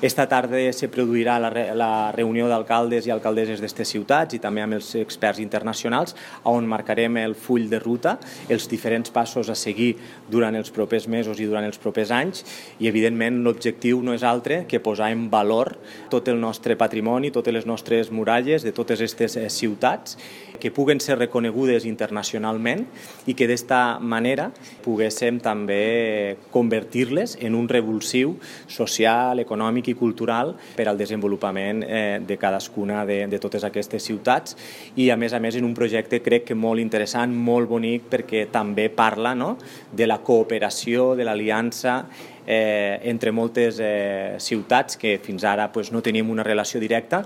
Esta tarda se produirà la reunió d'alcaldes i alcaldesses d'aquestes ciutats i també amb els experts internacionals, on marcarem el full de ruta, els diferents passos a seguir durant els propers mesos i durant els propers anys, i evidentment l'objectiu no és altre que posar en valor tot el nostre patrimoni, totes les nostres muralles de totes aquestes ciutats, que puguen ser reconegudes internacionalment i que d'esta manera poguéssim també convertir-les en un revulsiu social, econòmic i cultural per al desenvolupament de cadascuna de totes aquestes ciutats, i a més en un projecte crec que molt interessant, molt bonic, perquè també parla de la cooperació, de l'aliança entre moltes ciutats que fins ara no teníem una relació directa,